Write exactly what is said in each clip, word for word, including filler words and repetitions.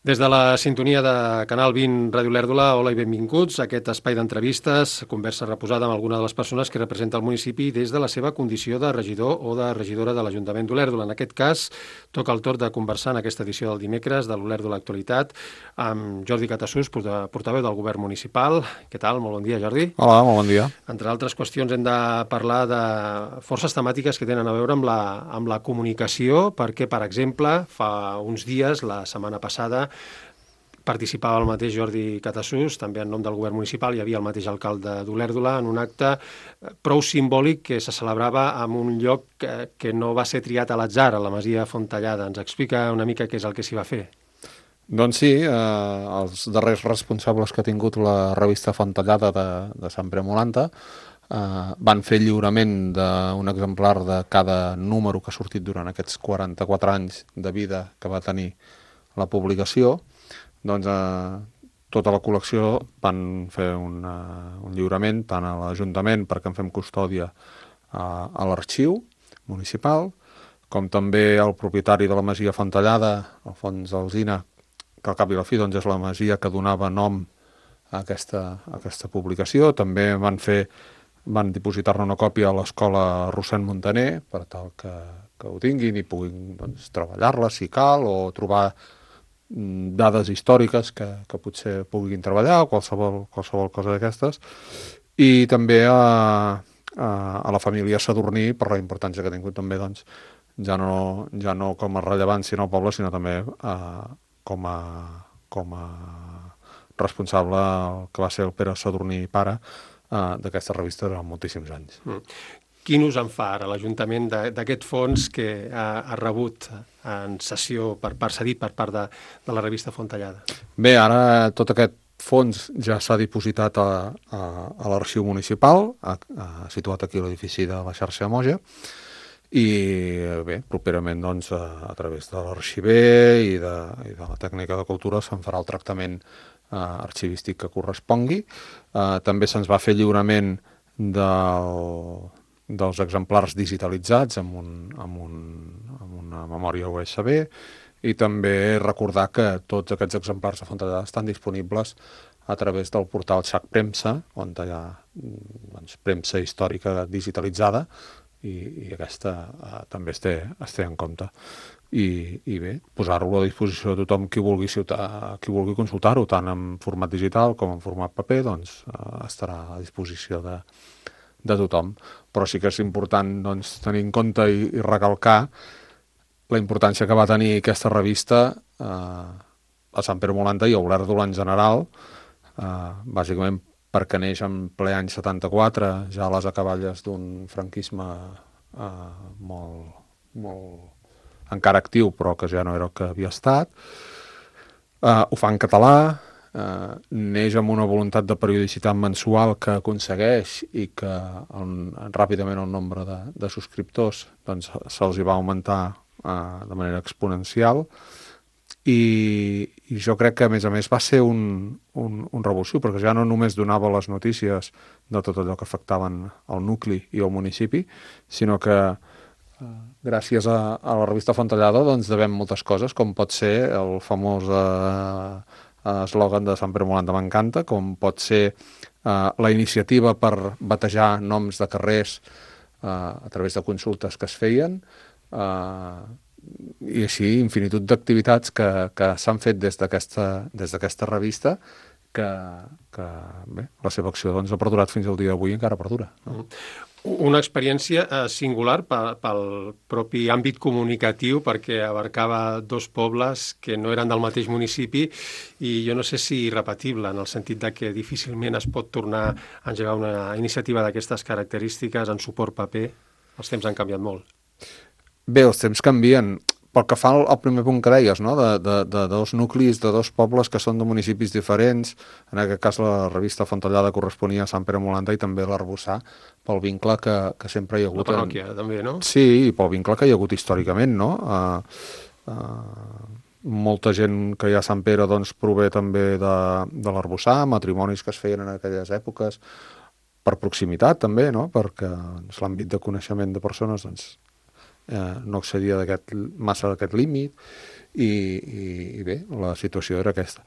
Des de la sintonia de Canal vint Ràdio Olèrdola, hola i benvinguts a aquest espai d'entrevistes, conversa reposada amb alguna de les persones que representa el municipi des de la seva condició de regidor o de regidora de l'Ajuntament d'Olèrdola. En aquest cas, toca el torn de conversar en aquesta edició del dimecres de l'Olèrdola Actualitat amb Jordi Catassús, portaveu del govern municipal. Què tal? Molt bon dia, Jordi. Hola, molt bon dia. Entre altres qüestions hem de parlar de forces temàtiques que tenen a veure amb la, amb la comunicació, perquè, per exemple, fa uns dies, la setmana passada, participava el mateix Jordi Catassús, també en nom del govern municipal, hi havia el mateix alcalde d'Olèrdola, en un acte prou simbòlic que se celebrava en un lloc que, que no va ser triat a l'atzar, a la Masia Fontellada. Ens explica una mica què és el que s'hi va fer? Doncs sí, eh, els darrers responsables que ha tingut la revista Fontellada de, de Sant Pere Molanta eh, van fer lliurament d'un exemplar de cada número que ha sortit durant aquests quaranta-quatre anys de vida que va tenir la publicació. Doncs eh, tota la col·lecció van fer un, uh, un lliurament tant a l'Ajuntament perquè en fem custòdia uh, a l'arxiu municipal, com també el propietari de la Masia Fontellada, Alfons Alsina, que al cap i la fi doncs, és la masia que donava nom a aquesta, a aquesta publicació. També van fer van dipositar-ne una còpia a l'escola Rossend Montaner per tal que, que ho tinguin i puguin doncs, treballar-la si cal o trobar dades històriques que, que potser puguin treballar o qualsevol, qualsevol cosa d'aquestes, i també a, a, a la família Sadurní per la importància que ha tingut també doncs, ja, no, ja no com a rellevància en el poble, sinó també a, com, a, com a responsable que va ser el Pere Sadurní pare a, d'aquesta revista durant moltíssims anys. Mm. Quin ús en fa ara l'Ajuntament d'aquest fons que ha, ha rebut en sessió per part cedit per part de, de la revista Fontellada? Bé, ara tot aquest fons ja s'ha dipositat a, a, a l'arxiu municipal, a, a, situat aquí a l'edifici de la xarxa Moja, i bé, properament doncs, a, a través de l'arxiver i de, i de la tècnica de cultura se'n farà el tractament eh, arxivístic que correspongui. Eh, també se'ns va fer lliurament del... dels exemplars digitalitzats amb, un, amb, un, amb una memòria U S B, i també recordar que tots aquests exemplars de Fontellada estan disponibles a través del portal Xac Premsa, on hi ha doncs, premsa històrica digitalitzada, i, i aquesta eh, també es té, es té en compte. I, i bé, posar-lo a disposició de tothom qui vulgui, ciutat, qui vulgui consultar-ho, tant en format digital com en format paper, doncs eh, estarà a disposició de de tothom, però sí que és important doncs, tenir en compte i, i recalcar la importància que va tenir aquesta revista eh, a Sant Pere Molanta i a Olèrdola en general, eh, bàsicament perquè neix en ple any setanta-quatre, ja a les acaballes d'un franquisme eh, molt, molt encara actiu, però que ja no era el que havia estat. Eh, ho fa en català, Uh, neix amb una voluntat de periodicitat mensual que aconsegueix i que el, ràpidament el nombre de, de subscriptors doncs, se'ls hi va augmentar uh, de manera exponencial, i, i jo crec que a més a més va ser un, un, un revulsiu, perquè ja no només donava les notícies de tot allò que afectaven el nucli i el municipi, sinó que uh, gràcies a, a la revista Fontellada doncs, devem moltes coses, com pot ser el famós uh, eslògan de Sant Pere Molanta m'encanta, com pot ser eh, la iniciativa per batejar noms de carrers eh, a través de consultes que es feien, eh, i així infinitud d'activitats que, que s'han fet des d'aquesta des d'aquesta revista, que, que bé, la seva acció doncs, ha perdurat fins al dia d'avui i encara perdura. No? Una experiència eh, singular pel propi àmbit comunicatiu, perquè abarcava dos pobles que no eren del mateix municipi, i jo no sé si irrepetible, en el sentit de que difícilment es pot tornar a engegar una iniciativa d'aquestes característiques en suport paper. Els temps han canviat molt. Bé, els temps canvien. Pel que fa al primer punt que deies, no? de, de, de dos nuclis, de dos pobles que són de municipis diferents, en aquest cas la revista Fontellada corresponia a Sant Pere Molanta i també l'Arboçà, pel vincle que, que sempre hi ha hagut. La parròquia, en... també, no? Sí, i pel vincle que hi ha hagut històricament, no? Uh, uh, molta gent que hi ha a Sant Pere doncs, prové també de, de l'Arboçà, matrimonis que es feien en aquelles èpoques, per proximitat també, no? Perquè doncs, l'àmbit de coneixement de persones doncs, Eh, no accedia d'aquest, massa d'aquest límit, i, i, i bé, la situació era aquesta.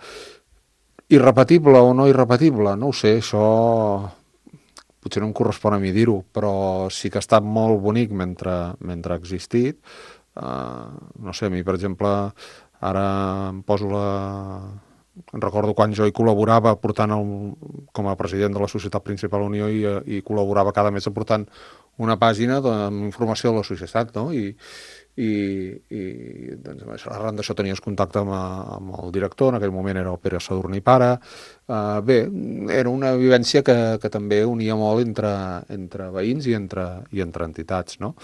Irrepetible o no irrepetible, no ho sé, això potser no em correspon a mi dir-ho, però sí que ha estat molt bonic mentre, mentre ha existit. Uh, no sé, a mi, per exemple, ara em poso la... Em recordo quan jo hi col·laborava portant el, com a president de la Societat Principal Unió i, i col·laborava cada mes aportant una pàgina amb informació de la societat, no? I, i, i doncs, arran d'això tenies contacte amb, amb el director, en aquell moment era el Pere Sadurní pare. Uh, bé, era una vivència que, que també unia molt entre, entre veïns i entre, i entre entitats, no?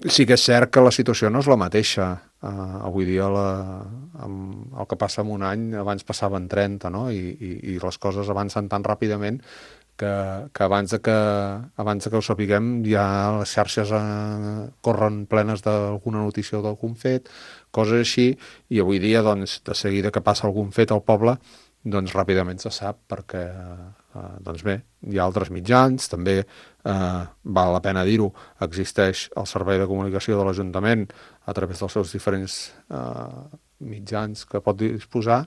Sí que és cert que la situació no és la mateixa. Uh, avui dia la, amb el que passa en un any, abans passaven trenta, no? I, i, i les coses avancen tan ràpidament que, que, abans de que abans de que ho sapiguem ja les xarxes uh, corren plenes d'alguna notícia o d'algun fet, coses així, i avui dia, doncs, de seguida que passa algun fet al poble, doncs ràpidament se sap, perquè eh, doncs bé, hi ha altres mitjans, també eh, val la pena dir-ho, existeix el servei de comunicació de l'Ajuntament a través dels seus diferents eh, mitjans que pot disposar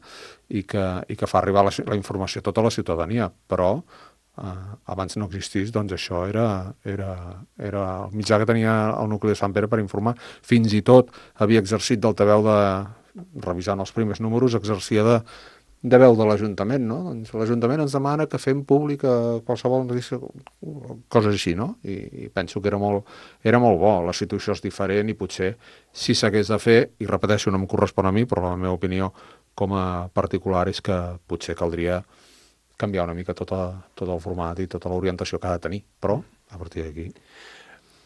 i que, i que fa arribar la, la informació a tota la ciutadania, però eh, abans no existís, doncs això era, era, era el mitjà que tenia el nucli de Sant Pere per informar. Fins i tot havia exercit d'altaveu de, revisant els primers números, exercia de de veu de l'Ajuntament, no? Doncs l'Ajuntament ens demana que fem pública qualsevol notícia, coses així, no? I, i penso que era molt, era molt bo. La situació és diferent i potser si s'hagués de fer, i repeteixo, no em correspon a mi, però la meva opinió com a particular és que potser caldria canviar una mica tot, a, tot el format i tota l'orientació que ha de tenir, però a partir d'aquí...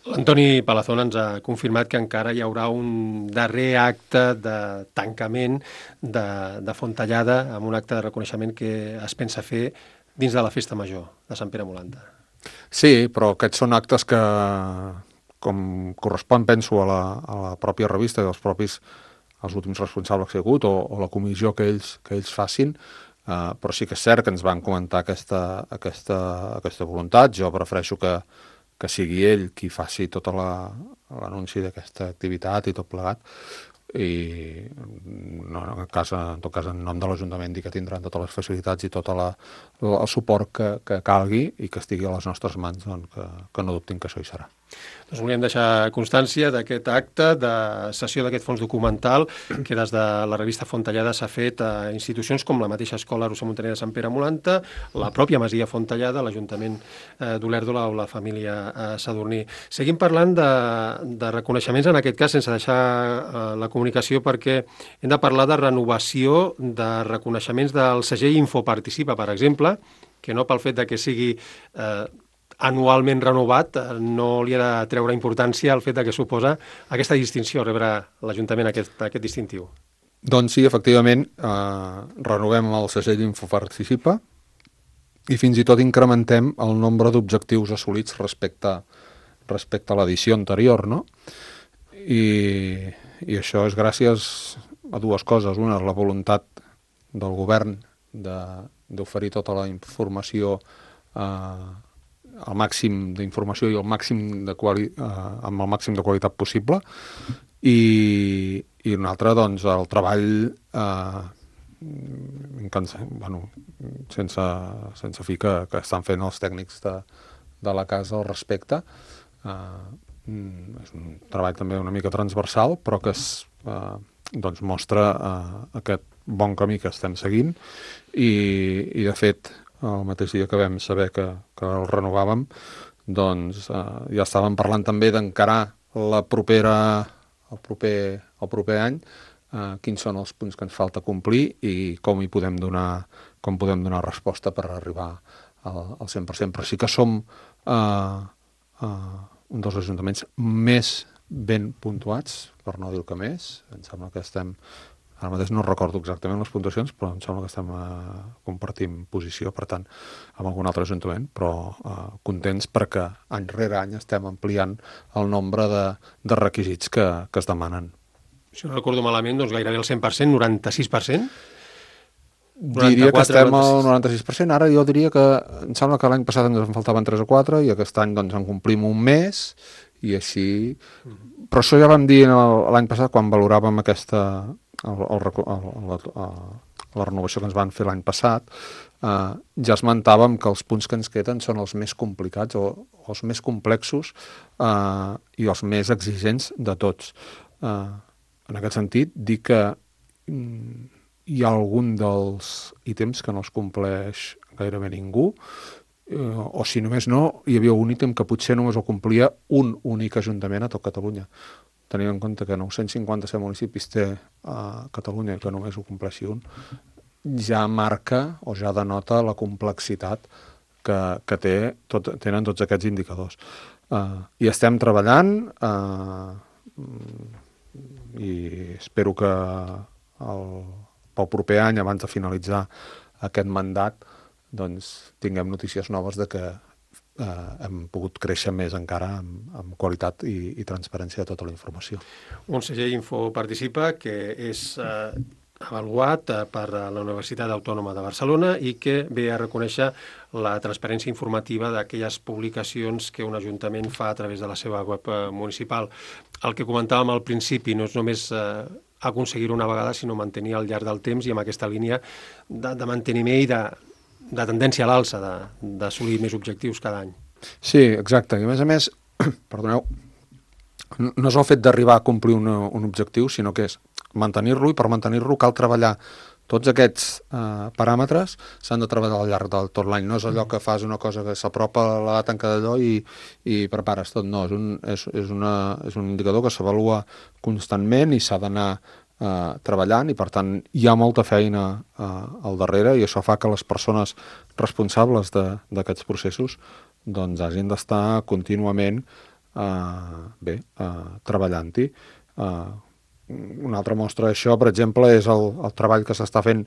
L'Antoni Palazón ens ha confirmat que encara hi haurà un darrer acte de tancament de, de Fontellada, amb un acte de reconeixement que es pensa fer dins de la Festa Major de Sant Pere Molanta. Sí, però aquests són actes que, com correspon, penso, a la, a la pròpia revista i als propis els últims responsables que hi ha hagut, o, o la comissió que ells, que ells facin, uh, però sí que és cert que ens van comentar aquesta, aquesta, aquesta voluntat. Jo prefereixo que que sigui ell qui faci tot l'anunci d'aquesta activitat i tot plegat, i no, en, cas, en tot cas en nom de l'Ajuntament dir que tindran totes les facilitats i tot la, el suport que, que calgui i que estigui a les nostres mans, doncs que, que no dubtin que això hi serà. Doncs volíem deixar constància d'aquest acte de sessió d'aquest fons documental que des de la revista Fontellada s'ha fet a institucions com la mateixa Escola Roser Montaner de Sant Pere Molanta, la pròpia Masia Fontellada, l'Ajuntament eh, d'Olèrdola o la família eh, Sadurní. Seguim parlant de, de reconeixements, en aquest cas, sense deixar eh, la comunicació, perquè hem de parlar de renovació de reconeixements del segell Infoparticipa, per exemple, que no pel fet de que sigui eh, anualment renovat, no li ha de treure importància al fet de que suposa aquesta distinció, rebre l'Ajuntament aquest, aquest distintiu. Doncs sí, efectivament, eh, renovem el segell Infoparticipa i fins i tot incrementem el nombre d'objectius assolits respecte, respecte a l'edició anterior, no? I, i això és gràcies a dues coses. Una és la voluntat del govern d'oferir tota la informació eh, el màxim d'informació i el màxim de quali, eh, amb el màxim de qualitat possible, i, i un altre, doncs, el treball eh, bueno, sense, sense fi que, que estan fent els tècnics de, de la casa al respecte. Eh, és un treball també una mica transversal, però que es, eh, doncs mostra eh, aquest bon camí que estem seguint, i, i de fet el mateix dia que vam saber que, que el renovàvem, doncs eh, ja estàvem parlant també d'encarar la propera, el proper, el proper any, eh, quins són els punts que ens falta complir i com hi podem donar, com podem donar resposta per arribar al, al cent per cent. Però sí que som eh, eh, un dels ajuntaments més ben puntuats, per no dir el que més. Em sembla que estem... Ara mateix no recordo exactament les puntuacions, però em sembla que estem eh, compartint posició, per tant, amb algun altre ajuntament, però eh, contents perquè any rere any estem ampliant el nombre de, de requisits que, que es demanen. Si no recordo malament, doncs gairebé el cent per cent, noranta-sis per cent? Diria que estem al noranta-sis per cent. Ara jo diria que em sembla que l'any passat ens en faltaven tres o quatre i aquest any doncs en complim un mes i així... Però això ja vam dir l'any passat quan valoràvem aquesta, el, el, el, la, la renovació que ens van fer l'any passat, eh, ja esmentàvem que els punts que ens queden són els més complicats o, o els més complexos eh, i els més exigents de tots. Eh, en aquest sentit, dir que mm, hi ha algun dels ítems que no els compleix gairebé ningú, eh, o si només no, hi havia un ítem que potser només ho complia un únic ajuntament a tot Catalunya. Tenint en compte que nou-cents cinquanta-set municipis té a Catalunya i que només ho compleixi un, ja marca o ja denota la complexitat que, que té, tot, tenen tots aquests indicadors. Uh, I estem treballant uh, i espero que el, pel proper any, abans de finalitzar aquest mandat, doncs tinguem notícies noves de que eh, hem pogut créixer més encara amb, amb qualitat i, i transparència de tota la informació. Un segell Info Participa que és eh, avaluat eh, per la Universitat Autònoma de Barcelona i que ve a reconèixer la transparència informativa d'aquelles publicacions que un ajuntament fa a través de la seva web eh, municipal. El que comentàvem al principi no és només eh, aconseguir-ho una vegada, sinó mantenir al llarg del temps i amb aquesta línia de, de manteniment i de, de tendència a l'alça, d'assolir més objectius cada any. Sí, exacte. I a més a més, perdoneu, no és el fet d'arribar a complir un, un objectiu, sinó que és mantenir-lo, i per mantenir-lo cal treballar tots aquests eh, paràmetres, s'han de treballar al llarg del tot l'any. No és allò que fas una cosa que s'apropa a la data en cada allò i, i prepares tot. No, és un, és, és una, és un indicador que s'avalua constantment i s'ha d'anar eh, treballant, i per tant hi ha molta feina eh, al darrere, i això fa que les persones responsables d'aquests processos doncs hagin d'estar contínuament eh, bé, eh, treballant-hi. Eh, Una altra mostra d'això, per exemple, és el, el treball que s'està fent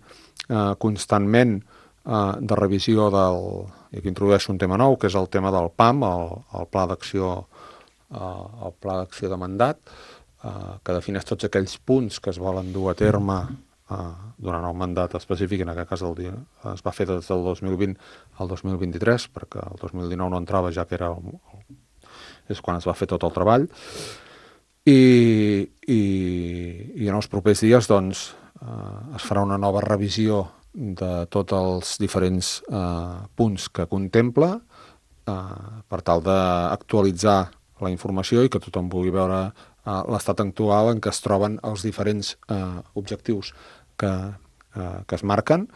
eh, constantment eh, de revisió del... i aquí introdueixo un tema nou, que és el tema del P A M, el, el Pla d'Acció eh, el Pla d'Acció de Mandat, eh, que defineix tots aquells punts que es volen dur a terme eh, durant el mandat específic. En aquest cas el dia, es va fer des del dos mil vint al dos mil vint-i-tres, perquè el dos mil dinou no entrava, ja que era el, el, és quan es va fer tot el treball. I, i, i en els propers dies doncs, eh, es farà una nova revisió de tots els diferents eh, punts que contempla eh, per tal d'actualitzar la informació i que tothom pugui veure eh, l'estat actual en què es troben els diferents eh, objectius que, eh, que es marquen,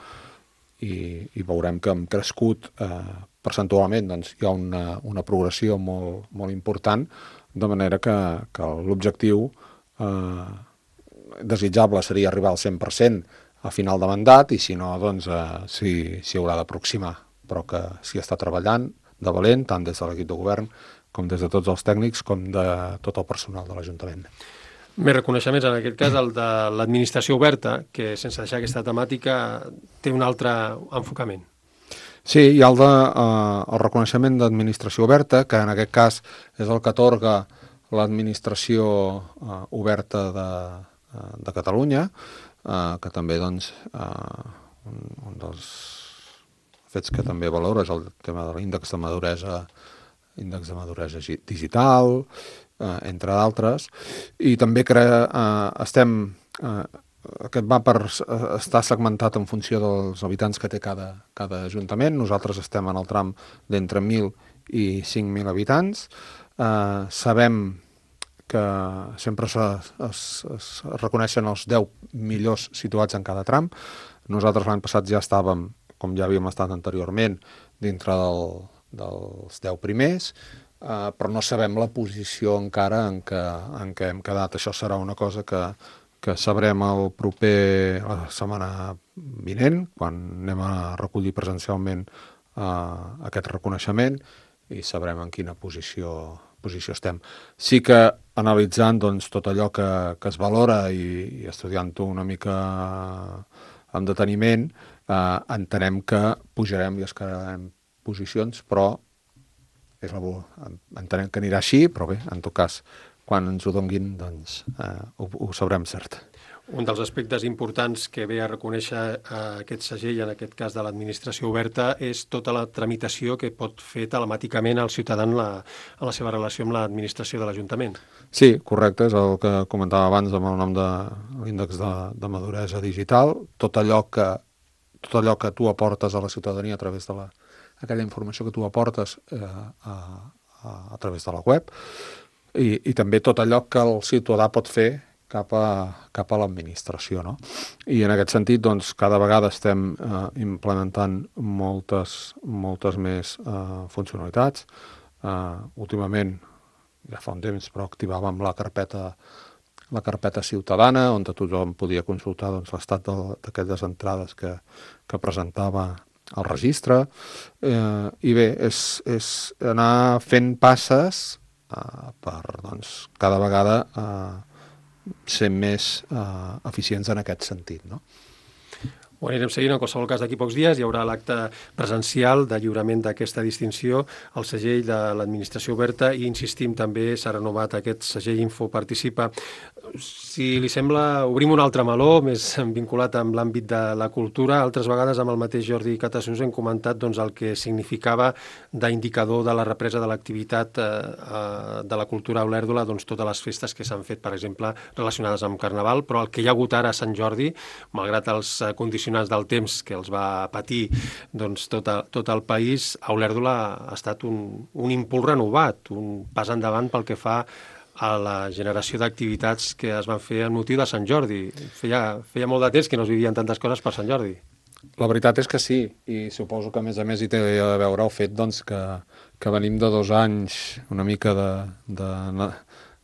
i, i veurem que hem crescut eh, percentualment, doncs, hi ha una, una progressió molt, molt important, de manera que, que l'objectiu eh, desitjable seria arribar al cent per cent a final de mandat, i si no, doncs eh, s'hi si haurà d'aproximar, però que s'hi està treballant de valent, tant des de l'equip de govern com des de tots els tècnics, com de tot el personal de l'Ajuntament. Més reconeixements, en aquest cas el de l'administració oberta, que sense deixar aquesta temàtica té un altre enfocament. Sí, hi ha el, de, eh, el reconeixement d'administració oberta, que en aquest cas és el que atorga l'administració eh, oberta de, eh, de Catalunya, eh, que també doncs, eh, un, un dels fets que també valora és el tema de l'índex de maduresa, índex de maduresa digital, eh, entre d'altres, i també crea, eh, estem... Eh, Aquest va per estar segmentat en funció dels habitants que té cada, cada ajuntament. Nosaltres estem en el tram d'entre mil i cinc mil habitants. Eh, sabem que sempre es, es, es reconeixen els deu millors situats en cada tram. Nosaltres l'any passat ja estàvem, com ja havíem estat anteriorment, dintre del, dels deu primers, eh, però no sabem la posició encara en què, en què hem quedat. Això serà una cosa que que sabrem el proper, la setmana vinent, quan anem a recollir presencialment eh, aquest reconeixement, i sabrem en quina posició, posició estem. Sí que analitzant doncs, tot allò que, que es valora i, i estudiant-ho una mica amb deteniment, eh, entenem que pujarem i escalarem posicions, però és la, entenem que anirà així, però bé, en tot cas, quan ens ho donguin, doncs, eh, ho, ho sabrem cert. Un dels aspectes importants que ve a reconèixer aquest segell, en aquest cas de l'administració oberta, és tota la tramitació que pot fer telemàticament el ciutadà en la, en la seva relació amb l'administració de l'Ajuntament. Sí, correcte, és el que comentava abans amb el nom de l'índex de, de maduresa digital. Tot allò que tot allò que tu aportes a la ciutadania a través de la, aquella informació que tu aportes eh, a, a, a través de la web i, i també tot allò que el ciutadà pot fer cap a, cap a l'administració, no? I en aquest sentit, doncs, cada vegada estem eh, implementant moltes, moltes més eh, funcionalitats. Eh, últimament, ja fa un temps, però activàvem la carpeta la carpeta ciutadana, on tothom podia consultar doncs, l'estat d'aquelles entrades que, que presentava el registre. Eh, I bé, és, és anar fent passes eh, per doncs, cada vegada eh, ser més eh, eficients en aquest sentit, no? Ho anirem seguint. En qualsevol cas, d'aquí pocs dies hi haurà l'acte presencial de lliurament d'aquesta distinció, el segell de l'administració oberta, i insistim, també s'ha renovat aquest segell Info Participa. Si li sembla, obrim un altre meló, més vinculat amb l'àmbit de la cultura. Altres vegades amb el mateix Jordi Catassus hem comentat doncs, el que significava d'indicador de la represa de l'activitat eh, de la cultura a Olèrdola, doncs, totes les festes que s'han fet, per exemple, relacionades amb Carnaval, però el que hi ha hagut ara a Sant Jordi, malgrat els condicionants del temps que els va patir doncs, tot, a, tot el país, a Olèrdola ha estat un, un impuls renovat, un pas endavant pel que fa a la generació d'activitats que es van fer en motiu de Sant Jordi. Feia, feia molt de temps que no es vivien tantes coses per Sant Jordi. La veritat és que sí, i suposo que a més a més hi té a veure el fet doncs, que, que venim de dos anys una mica de, de,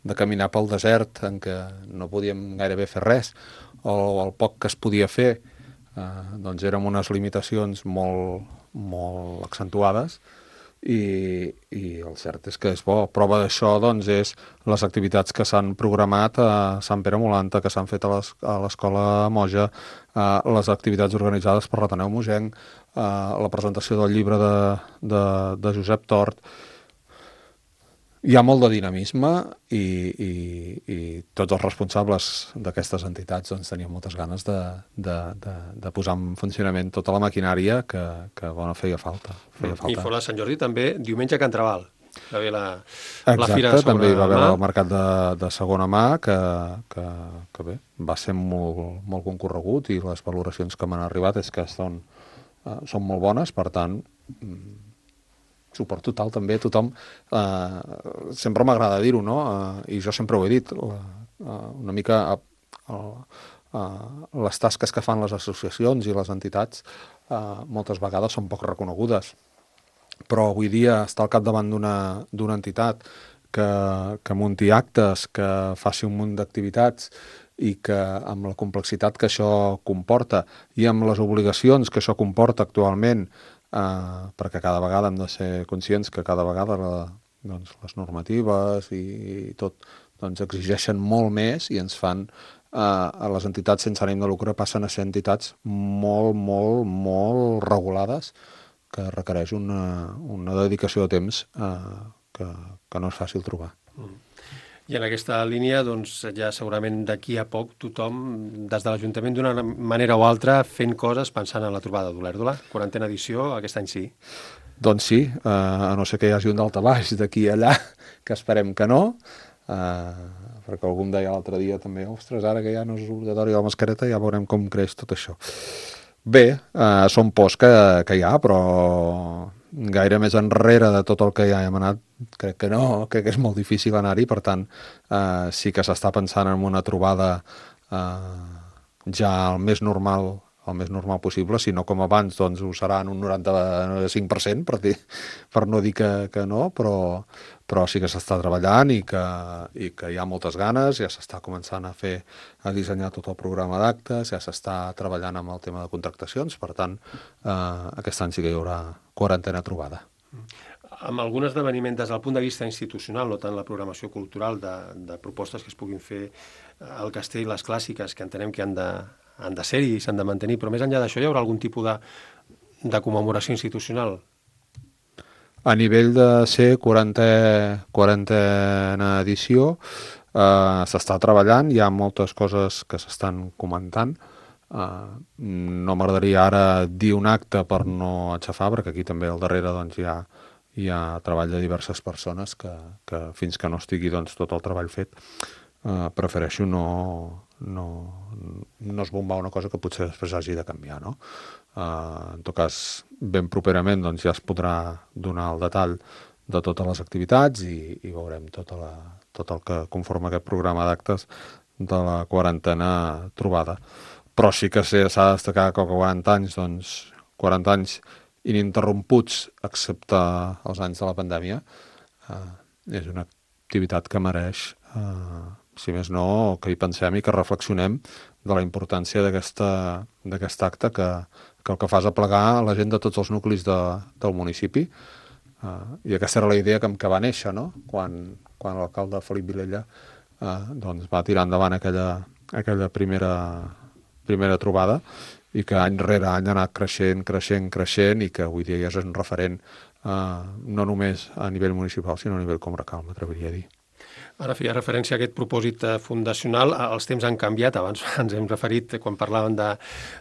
de caminar pel desert en què no podíem gairebé fer res, o el poc que es podia fer Uh, doncs érem unes limitacions molt, molt accentuades i, i el cert és que és bo. Prova d'això doncs, és les activitats que s'han programat a Sant Pere Molanta, que s'han fet a l'Escola Moja, uh, les activitats organitzades per l'Ateneu Mogenc, uh, la presentació del llibre de, de, de Josep Tort. Hi ha molt de dinamisme i, i, i tots els responsables d'aquestes entitats doncs, tenien moltes ganes de, de, de, de posar en funcionament tota la maquinària que, que bueno, feia falta. Feia falta. I fora Sant Jordi també, diumenge a Can Trabal. Va haver la, Exacte, la fira de segona també hi va haver mà. el mercat de, de segona mà que, que, que bé, va ser molt, molt concorregut i les valoracions que m'han arribat és que són, uh, són molt bones, per tant suport total també, tothom eh, sempre m'agrada dir-ho, no? Eh, i jo sempre ho he dit, la, uh, una mica uh, uh, les tasques que fan les associacions i les entitats uh, moltes vegades són poc reconegudes, però avui dia estar al capdavant d'una d'una entitat que, que munti actes, que faci un munt d'activitats i que amb la complexitat que això comporta i amb les obligacions que això comporta actualment, Uh, perquè cada vegada hem de ser conscients que cada vegada la, doncs, les normatives i, i tot doncs, exigeixen molt més i ens fan, uh, a les entitats sense ànim de lucre passen a ser entitats molt, molt, molt regulades que requereix una, una dedicació de temps uh, que, que no és fàcil trobar. Mm. I en aquesta línia, doncs, ja segurament d'aquí a poc tothom, des de l'Ajuntament, d'una manera o altra, fent coses pensant en la trobada d'Olèrdola. Quarantena edició, aquest any sí. Doncs sí, eh, a no ser que hi hagi un daltabaix d'aquí a allà, que esperem que no, eh, perquè algú em deia l'altre dia també, ostres, ara que ja no és obligatori la mascareta, ja veurem com creix tot això. Bé, eh, són pors que, que hi ha, però gaire més enrere de tot el que ja hem anat, crec que no, crec que és molt difícil anar-hi, per tant, eh, sí que s'està pensant en una trobada eh, ja el més normal, el més normal possible, si no com abans, doncs ho serà en un noranta-cinc per cent, per, dir, per no dir que, que no, però, però sí que s'està treballant i que, i que hi ha moltes ganes, ja s'està començant a fer, a dissenyar tot el programa d'actes, ja s'està treballant amb el tema de contractacions, per tant, eh, aquest any sí que hi haurà quarantena trobada. Amb algun esdeveniment des del punt de vista institucional, no tant la programació cultural de, de propostes que es puguin fer al castell, les clàssiques, que entenem que han de, han de ser-hi i s'han de mantenir, però més enllà d'això hi haurà algun tipus de, de commemoració institucional? A nivell de ser quarantena edició, Uh, s'està treballant, hi ha moltes coses que s'estan comentant. Uh, no m'agradaria ara dir un acte per no aixafar, perquè aquí també al darrere doncs, hi ha, hi ha treball de diverses persones que, que fins que no estigui doncs, tot el treball fet, uh, prefereixo no, no, no esbombar una cosa que potser després hagi de canviar, no? Uh, en tot cas, ben properament doncs, ja es podrà donar el detall de totes les activitats i, i veurem tota la, tot el que conforma aquest programa d'actes de la quarantena trobada. Però sí que s'ha de destacar que quaranta anys, doncs, quaranta anys ininterromputs, excepte els anys de la pandèmia, eh, és una activitat que mereix, eh, si més no, que hi pensem i que reflexionem de la importància d'aquest acte que, que el que fa és aplegar la gent de tots els nuclis de, del municipi. Uh, I aquesta era la idea que, que va néixer, no? Quan, quan l'alcalde Felip Vilella uh, doncs va tirar endavant aquella, aquella primera, primera trobada i que any rere any ha anat creixent, creixent, creixent i que avui dia ja és un referent uh, no només a nivell municipal sinó a nivell comarcal, m'atreviria a dir. Ara feia referència a aquest propòsit fundacional. Els temps han canviat, abans ens hem referit quan parlàvem de,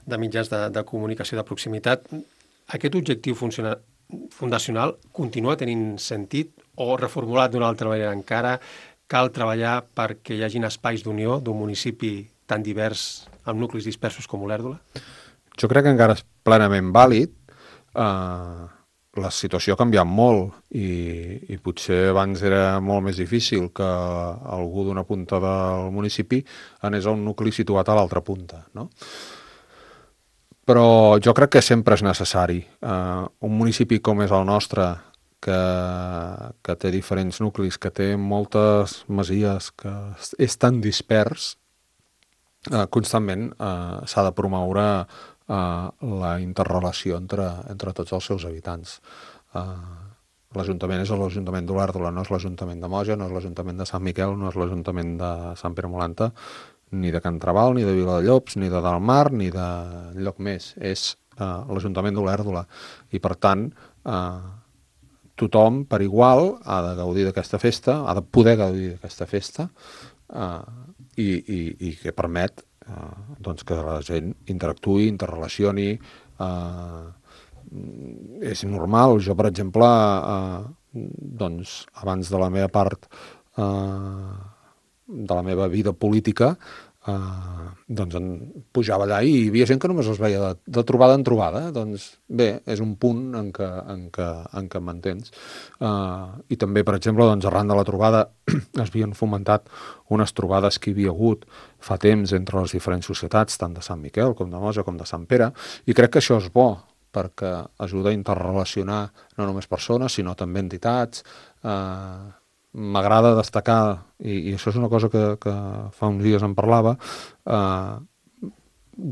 de mitjans de, de comunicació de proximitat. Aquest objectiu funcional fundacional continua tenint sentit o reformulat d'una altra manera encara? Cal treballar perquè hi hagin espais d'unió d'un municipi tan divers amb nuclis dispersos com Olèrdola? Jo crec que encara és plenament vàlid. Uh, la situació ha canviat molt i, i potser abans era molt més difícil que algú d'una punta del municipi anés a un nucli situat a l'altra punta, no? Però jo crec que sempre és necessari. Uh, un municipi com és el nostre, que, que té diferents nuclis, que té moltes masies, que és tan dispers, uh, constantment uh, s'ha de promoure uh, la interrelació entre, entre tots els seus habitants. Uh, L'Ajuntament és l'Ajuntament d'Olèrdola, no és l'Ajuntament de Moja, no és l'Ajuntament de Sant Miquel, no és l'Ajuntament de Sant Pere Molanta, ni de Can Trabal, ni de Viladellobs, ni de Dalmar, ni de lloc més. És uh, l'Ajuntament d'Olèrdola. I, per tant, uh, tothom, per igual, ha de gaudir d'aquesta festa, ha de poder gaudir d'aquesta festa, uh, i, i, i que permet uh, doncs que la gent interactuï, interrelacioni. Uh, és normal. Jo, per exemple, uh, doncs, abans de la meva part... Uh, de la meva vida política, eh, doncs en pujava allà i hi havia gent que només els veia de, de trobada en trobada. Doncs bé, és un punt en què, en què, en què m'entens. Eh, I també, per exemple, doncs, arran de la trobada es havien fomentat unes trobades que hi havia hagut fa temps entre les diferents societats, tant de Sant Miquel com de Moja com de Sant Pere, i crec que això és bo, perquè ajuda a interrelacionar no només persones, sinó també entitats. Eh, M'agrada destacar, i, i això és una cosa que, que fa uns dies en parlava, eh,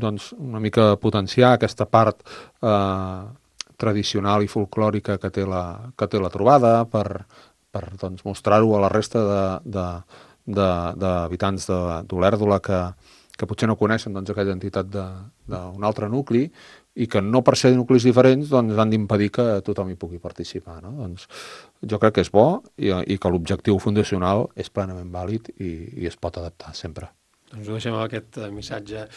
doncs una mica potenciar aquesta part eh, tradicional i folclòrica que té la, que té la trobada per, per doncs, mostrar-ho a la resta d'habitants d'Olèrdola que, que potser no coneixen doncs, aquella entitat d'un altre nucli i que no per ser nuclis diferents doncs, han d'impedir que tothom hi pugui participar. No? Doncs, jo crec que és bo i, i que l'objectiu fundacional és plenament vàlid i, i es pot adaptar sempre. Doncs ho deixem amb aquest missatge.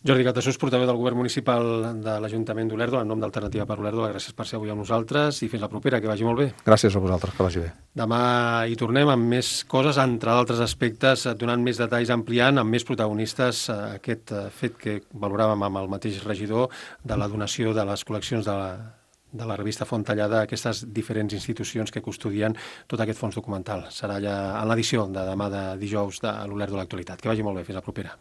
Jordi Caltasús, portaveu del Govern Municipal de l'Ajuntament d'Olèrdola, en nom d'Alternativa per Olèrdola, gràcies per ser avui amb nosaltres i fins la propera, que vagi molt bé. Gràcies a vosaltres, que vagi bé. Demà hi tornem amb més coses, entre d'altres aspectes, donant més detalls, ampliant, amb més protagonistes aquest fet que valoràvem amb el mateix regidor de la donació de les col·leccions de la, de la revista Fontallada a aquestes diferents institucions que custodien tot aquest fons documental. Serà ja en l'edició de demà de dijous de l'Olèrdola Actualitat. Que vagi molt bé, fins la propera.